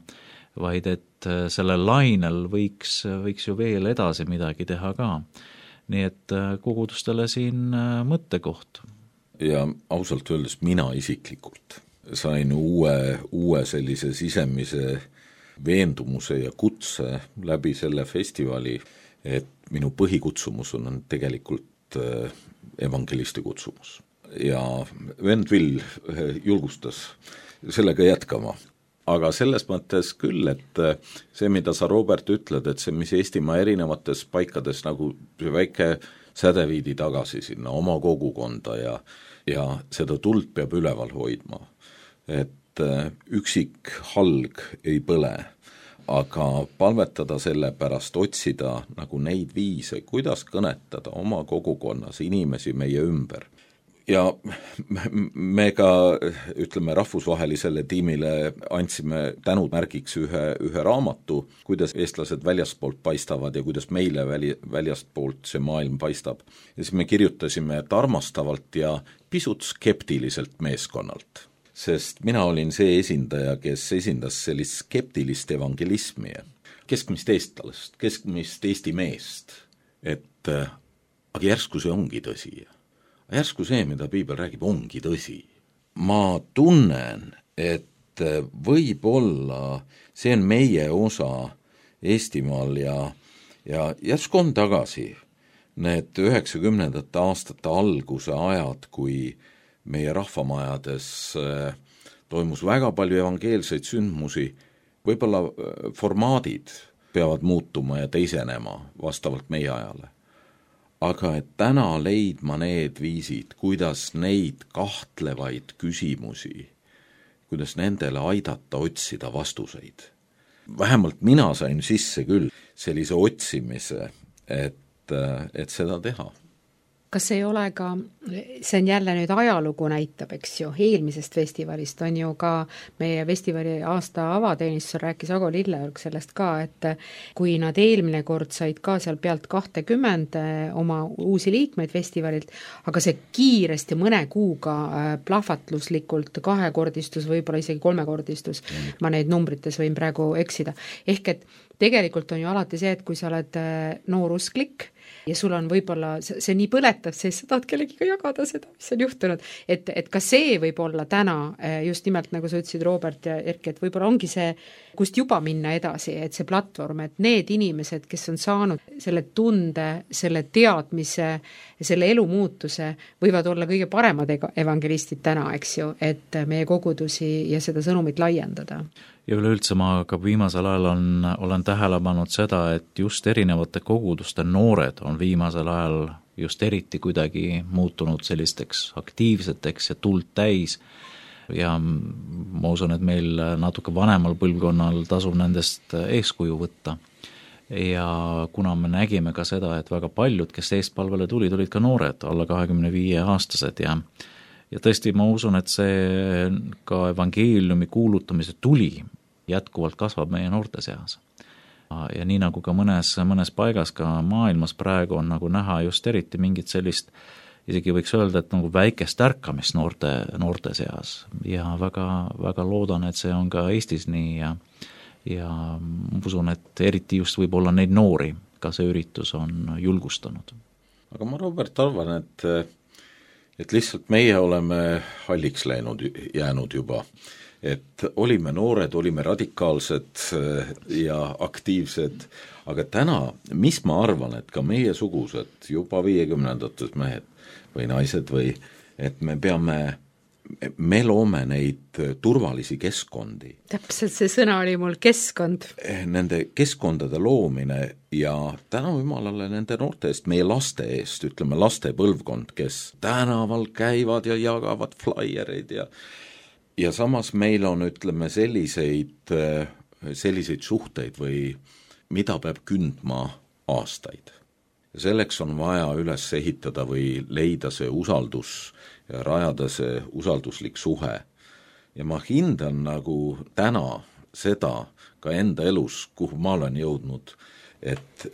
Speaker 4: vaid et sellel lainel võiks ju veel edasi midagi teha ka. Nii et kogudustele siin mõttekoht.
Speaker 3: Ja ausalt öeldes mina isiklikult sain uue sellise sisemise veendumuse ja kutse läbi selle festivali, et minu põhikutsumus on tegelikult evangelisti kutsumus. Ja vend Vill julgustas sellega jätkama. aga selles mõttes küll, et see, mida sa, Robert, ütled, et see, mis Eestimaa erinevates paikades nagu see väike sädeviidi tagasi sinna oma kogukonda ja seda tuld peab üleval hoidma. Et üksik halg ei põle, aga palvetada selle pärast, otsida nagu neid viise, kuidas kõnetada oma kogukonnas inimesi meie ümber. Ja me ka, ütleme, rahvusvahelisele tiimile andsime tänumärgiks ühe raamatu, kuidas eestlased väljastpoolt paistavad ja kuidas meile väljastpoolt see maailm paistab. Ja siis me kirjutasime, et armastavalt ja pisut skeptiliselt meeskonnalt. Sest mina olin see esindaja, kes esindas sellist skeptilist evangelismi, keskmist eestlast, keskmist Eesti meest, et aga järsku see ongi tõsi. Järsku see, mida piibel räägib, ongi tõsi. Ma tunnen, et võib-olla see on meie osa Eestimaal ja järsku on tagasi need 90. aastate alguse ajad, kui meie rahvamajades toimus väga palju evangeelseid sündmusi, võib-olla formaadid peavad muutuma ja teisenema vastavalt meie ajale. Aga et täna leidma need viisid, kuidas neid kahtlevaid küsimusi, kuidas nendele aidata otsida vastuseid. Vähemalt mina sain sisse küll sellise otsimise, et seda teha.
Speaker 1: Kas ei ole ka, see on jälle nüüd ajalugu näitab, eks ju, eelmisest festivalist on ju ka meie festivali aasta avateenistus rääkis Ago Lilleorg sellest ka, et kui nad eelmine kord said ka seal pealt 20 oma uusi liikmeid festivalilt, aga see kiiresti mõne kuuga plahvatluslikult kahekordistus, võib-olla isegi kolmekordistus, ma neid numbrites võin praegu eksida. Ehk et tegelikult on ju alati see, et kui sa oled noorusklik ja sul on võib-olla, see nii põletav, siis sa tahad kellegiga jagada seda, mis on juhtunud. Et ka see võib olla täna, just nimelt nagu sa ütlesid, Robert ja Erki, et võib-olla ongi see, kust juba minna edasi, et see platvorm, et need inimesed, kes on saanud selle tunde, selle teadmise, selle elumuutuse, võivad olla kõige paremad evangelistid täna, eks ju, et meie kogudusi ja seda sõnumit laiendada.
Speaker 4: Ja üleüldse ma ka viimasel ajal olen tähele pannud seda, et just erinevate koguduste noored on viimasel ajal just eriti kuidagi muutunud sellisteks aktiivseteks ja tuld täis ja ma usun, et meil natuke vanemal põlvkonnal tasub nendest eeskuju võtta. Ja kuna me nägime ka seda, et väga paljud, kes eestpalvele tulid ka noored, alla 25-aastased ja tõesti ma usun, et see ka evangeeliumi kuulutamise tuli jätkuvalt kasvab meie noorte seas. Ja nii nagu ka mõnes paigas ka maailmas praegu on nagu näha just eriti mingit sellist, isegi võiks öelda, et nagu väikest ärkamist noorte seas ja väga, väga loodan, et see on ka Eestis nii ja usun, et eriti just võib olla neid noori, ka see üritus on julgustanud.
Speaker 3: Aga ma, Robert, arvan, et lihtsalt meie oleme halliks jäänud juba. Et olime noored, olime radikaalsed ja aktiivsed, aga täna, mis ma arvan, et ka meie sugused, juba 50-ndates mehed või naised või, et me loome neid turvalisi keskkondi.
Speaker 1: Täpselt see sõna oli mul, keskkond.
Speaker 3: Nende keskkondade loomine ja täna jumalale nende noorte eest, meie laste eest, ütleme laste põlvkond, kes tänaval käivad ja jagavad flaiereid ja samas meil on, ütleme, selliseid suhteid või mida peab kündma aastaid. Selleks on vaja üles ehitada või leida see usaldus ja rajada see usalduslik suhe. Ja ma hindan nagu täna seda ka enda elus, kuhu ma olen jõudnud, et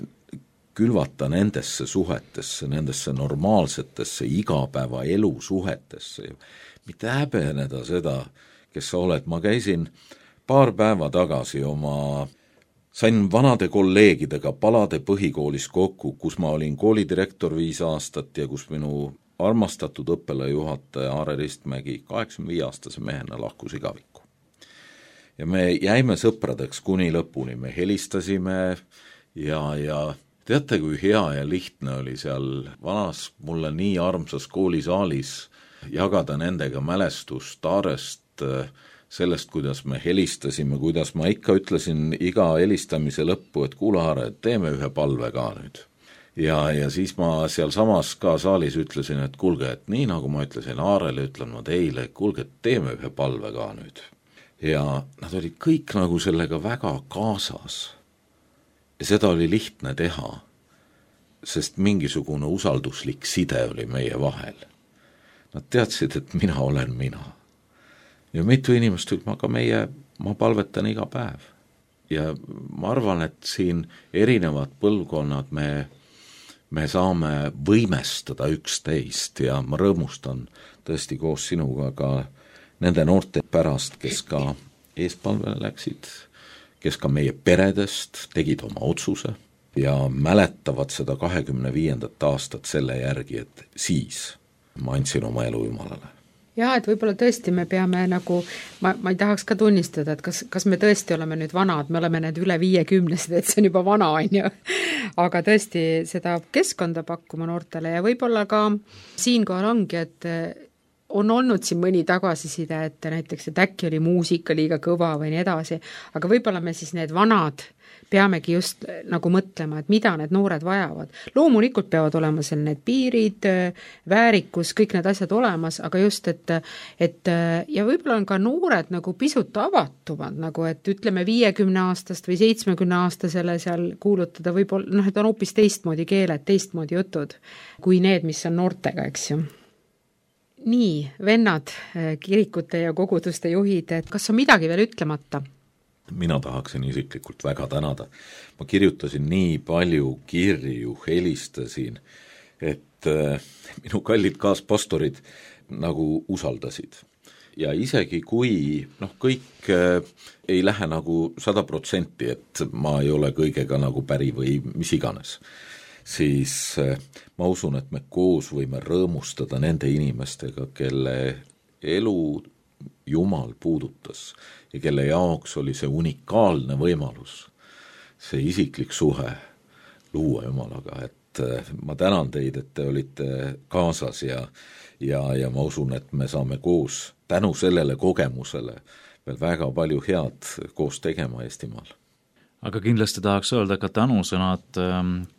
Speaker 3: külvata nendesse suhetesse, nendesse normaalsetesse igapäeva elu suhetesse, mitte häbeneda seda, kes sa oled. Ma käisin paar päeva tagasi sain vanade kolleegidega Palade põhikoolis kokku, kus ma olin koolidirektor 5 aastat ja kus minu armastatud õppelajuhataja Aare Ristmägi 85-aastase mehena lahkus igavikku. Ja me jäime sõpradeks kuni lõpuni, me helistasime ja teate, kui hea ja lihtne oli seal vanas mulle nii armsas koolisaalis jagada nendega mälestust Aarest sellest, kuidas me helistasime, kuidas ma ikka ütlesin iga helistamise lõppu, et kuule, Aare, teeme ühe palve ka nüüd. Ja siis ma seal samas ka saalis ütlesin, et kuulge, et nii nagu ma ütlesin Aarele, ütlen ma teile, kuulge, teeme ühe palve ka nüüd. Ja nad olid kõik nagu sellega väga kaasas. Ja seda oli lihtne teha, sest mingisugune usalduslik side oli meie vahel. Nad teadsid, et mina olen mina. Ja mitu inimest ütleb, aga ma palvetan iga päev. Ja ma arvan, et siin erinevad põlvkonnad me saame võimestada üksteist ja ma rõõmustan tõesti koos sinuga ka nende noorte pärast, kes ka eespalvele läksid, kes ka meie peredest tegid oma otsuse ja mäletavad seda 25. aastat selle järgi, et siis ma andsin oma elu Jumalale.
Speaker 1: Jaa, et võib-olla tõesti me peame nagu, ma ei tahaks ka tunnistada, et kas me tõesti oleme nüüd vanad, me oleme need üle 50, et see on juba vana, on ju. Aga tõesti seda keskkonda pakkuma noortele ja võib-olla ka siinkohal ongi, et on olnud siin mõni tagasiside, et näiteks, et äkki oli muusika liiga kõva või nii edasi, aga võib-olla me siis need vanad peamegi just nagu mõtlema, et mida need noored vajavad. Loomulikult peavad olema seal need piirid, väärikus, kõik need asjad olemas, aga just, et ja võib-olla on ka noored nagu pisut avatumad, nagu et ütleme 50-aastast või 70-aastasele seal kuulutada võib-olla, et on hoopis teistmoodi keeled, teistmoodi jutud, kui need, mis on noortega, eks ju. Nii, vennad, kirikute ja koguduste juhid, et kas on midagi veel ütlemata?
Speaker 3: Mina tahaksin isiklikult väga tänada. Ma kirjutasin nii palju kirju, helistasin, et minu kallid kaaspastorid nagu usaldasid. Ja isegi kui kõik ei lähe nagu 100%, et ma ei ole kõigega nagu päri või mis iganes, siis ma usun, et me koos võime rõõmustada nende inimestega, kelle elu Jumal puudutas ja kelle jaoks oli see unikaalne võimalus, see isiklik suhe luua Jumalaga, et ma tänan teid, et te olite kaasas ja ma usun, et me saame koos tänu sellele kogemusele veel väga palju head koos tegema Eestimaal.
Speaker 4: Aga kindlasti tahaks öelda ka tänusõnad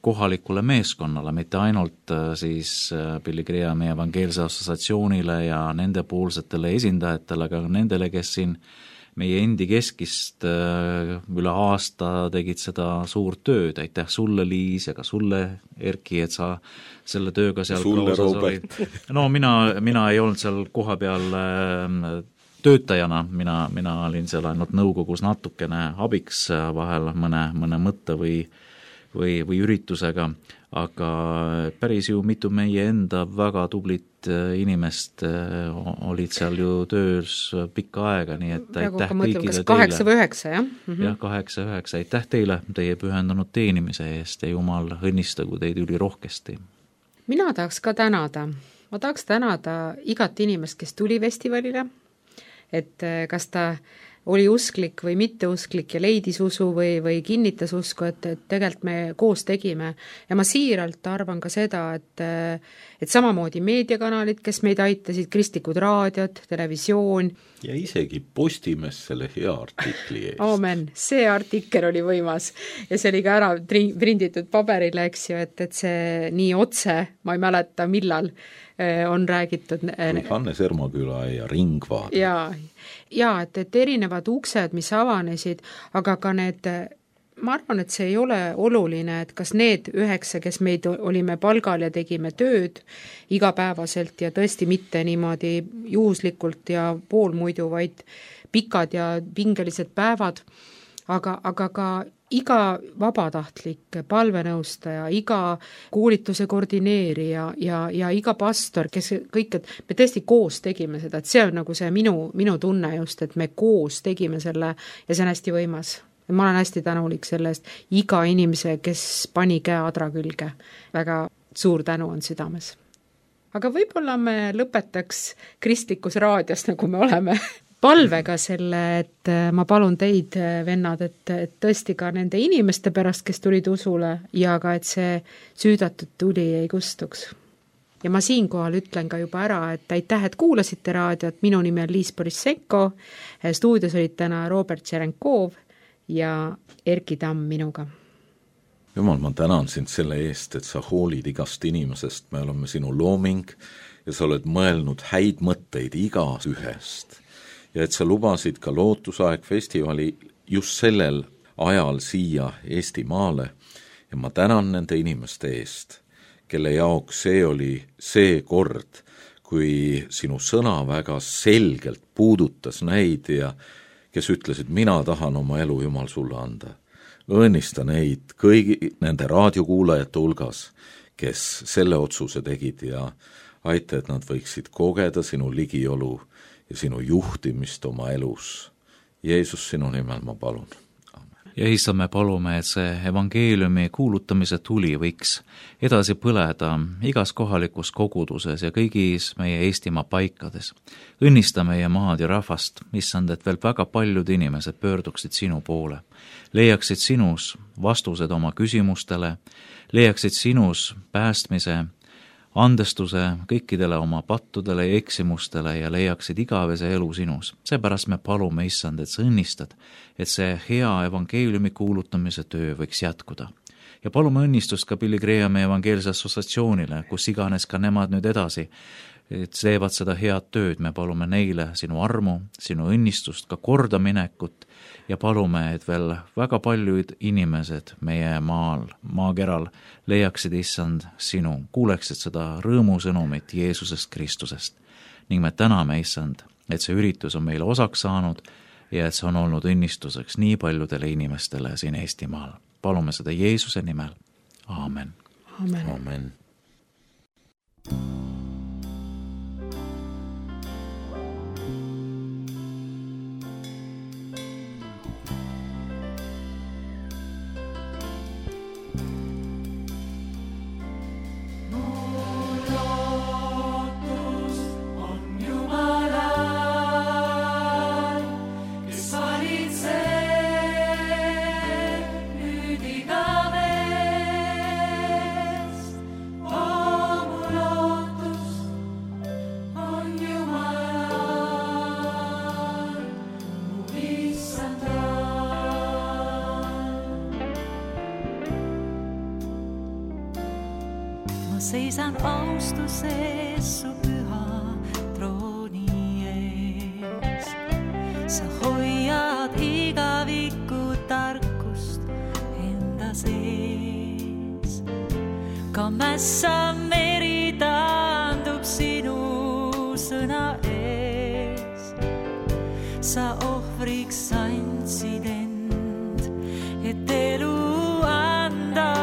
Speaker 4: kohalikule meeskonnale, mitte ainult siis Pilligria meie evangeelse assotsiatsioonile ja nende poolsetele esindajatele, aga nendele, kes siin meie endi keskist üle aasta tegid seda suurt tööd. Aitäh sulle, Liis, ja ka sulle, Erki, et sa selle tööga seal
Speaker 3: sulle, Robert.
Speaker 4: No mina ei olnud seal koha peal töötajana, mina olin seal ainult nõukogus natukene abiks vahel mõne mõtte või üritusega, aga päris ju mitu meie enda väga tublit inimest olid seal ju töös pikka aega, nii et aitäh kõigile teile. 8 või 9, jah? Jah, 8-9, aitäh teile teie pühendunud teenimise eest ja Jumal õnnistagu teid ülirohkesti.
Speaker 1: Mina tahaks ka tänada. Ma tahaks tänada igat inimest, kes tuli festivalile, et kas ta oli usklik või mitteusklik ja leidis usu või kinnitas usku, et tegelikult me koos tegime. Ja ma siiralt arvan ka seda, et samamoodi meediakanalid, kes meid aitasid, kristlikud raadiod, televisioon.
Speaker 3: Ja isegi Postimees selle hea artikli eest.
Speaker 1: Aamen, see artikkel oli võimas ja see oli ka ära prinditud paberile, eks ju, et see nii otse, ma ei mäleta millal, on räägitud.
Speaker 3: Hannes Ermaküla ja Ringvaad.
Speaker 1: Ja, et erinevad uksed, mis avanesid, aga ka need, ma arvan, et see ei ole oluline, et kas need 9, kes meid olime palgal ja tegime tööd igapäevaselt ja tõesti mitte niimoodi juhuslikult ja poolmuidu, vaid pikad ja pingelised päevad, aga ka iga vabatahtlik palvenõustaja, iga koolituse koordineerija ja iga pastor, kes kõik, et me tõesti koos tegime seda, et see on nagu see minu tunne just, et me koos tegime selle ja see on hästi võimas. Ma olen hästi tänulik selle eest, iga inimese, kes pani käe adra külge, väga suur tänu on südames. Aga võib-olla me lõpetaks kristlikus raadios, nagu me oleme palvega selle, et ma palun teid, vennad, et tõesti ka nende inimeste pärast, kes tulid usule ja ka, et see süüdatud tuli ei kustuks. ja ma siinkohal ütlen ka juba ära, et aitäh, et kuulasite raadiot, minu nimi on Liis Borissenko, stuudios olid täna Robert Tšerenkov ja Erki Tamm minuga.
Speaker 3: Jumal, ma tänan sind selle eest, et sa hoolid igast inimesest, me oleme sinu looming ja sa oled mõelnud häid mõtteid igas ühest. Ja et sa lubasid ka Lootusaeg festivali just sellel ajal siia Eestimaale ja ma tänan nende inimeste eest, kelle jaoks see oli see kord, kui sinu sõna väga selgelt puudutas neid ja kes ütlesid, mina tahan oma elu Jumal sulle anda. Õnnista neid kõigi nende raadiokuulajate hulgas, kes selle otsuse tegid ja aita, et nad võiksid kogeda sinu ligiolu ja sinu juhtimist oma elus. Jeesus, sinu nimel ma palun.
Speaker 4: Ja issand, me palume, et see evangeeliumi kuulutamise tuli võiks edasi põleda igas kohalikus koguduses ja kõigis meie Eestimaa paikades. Õnnista meie maad ja rahvast, issand, et veel väga paljud inimesed pöörduksid sinu poole, leiaksid sinus vastused oma küsimustele, leiaksid sinus päästmise, andestuse kõikidele oma pattudele ja eksimustele ja leiaksid igavese elu sinus. Seepärast me palume, issand, et sa õnnistad, et see hea evangeeliumi kuulutamise töö võiks jätkuda. Ja palume õnnistust ka Billy Grahami evangeelse assotsiatsioonile, kus iganes ka nemad nüüd edasi teevad seda head tööd. Me palume neile sinu armu, sinu õnnistust, ka kordaminekut ja palume, et veel väga paljud inimesed meie maakeral leiaksid, issand, sinu, kuuleksid seda rõõmusõnumit Jeesusest Kristusest. Ning me täname, issand, et see üritus on meile osaks saanud ja et see on olnud õnnistuseks nii paljudele inimestele siin Eestimaal. Palume seda Jeesuse nimel. Aamen.
Speaker 1: Amen.
Speaker 3: Amen.
Speaker 5: Seisan austuses su püha trooni ees. Sa hoiad igavikku tarkust enda sees. Ka mässa meri taandub sinu sõna ees. Sa ohvriks andsid end, et elu anda.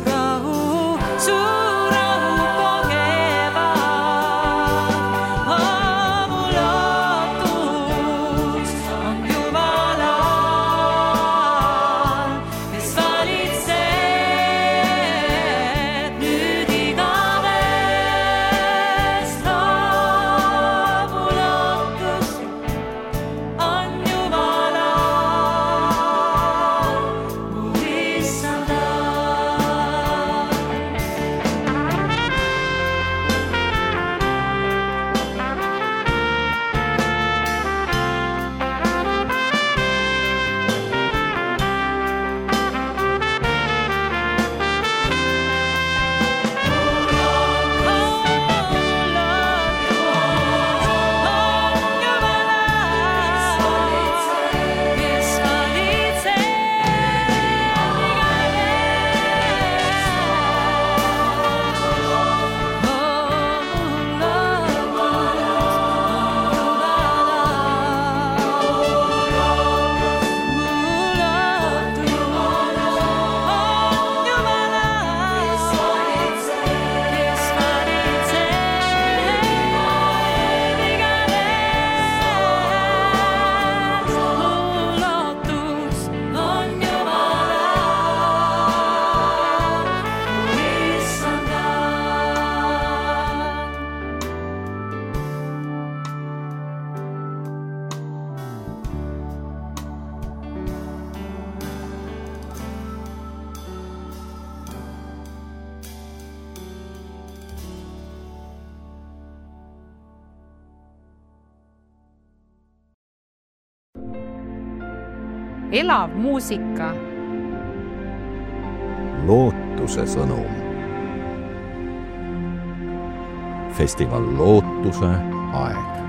Speaker 5: Rahu kogevad, mul
Speaker 6: elav muusika.
Speaker 2: Lootuse sõnum. Festival Lootuse aeg.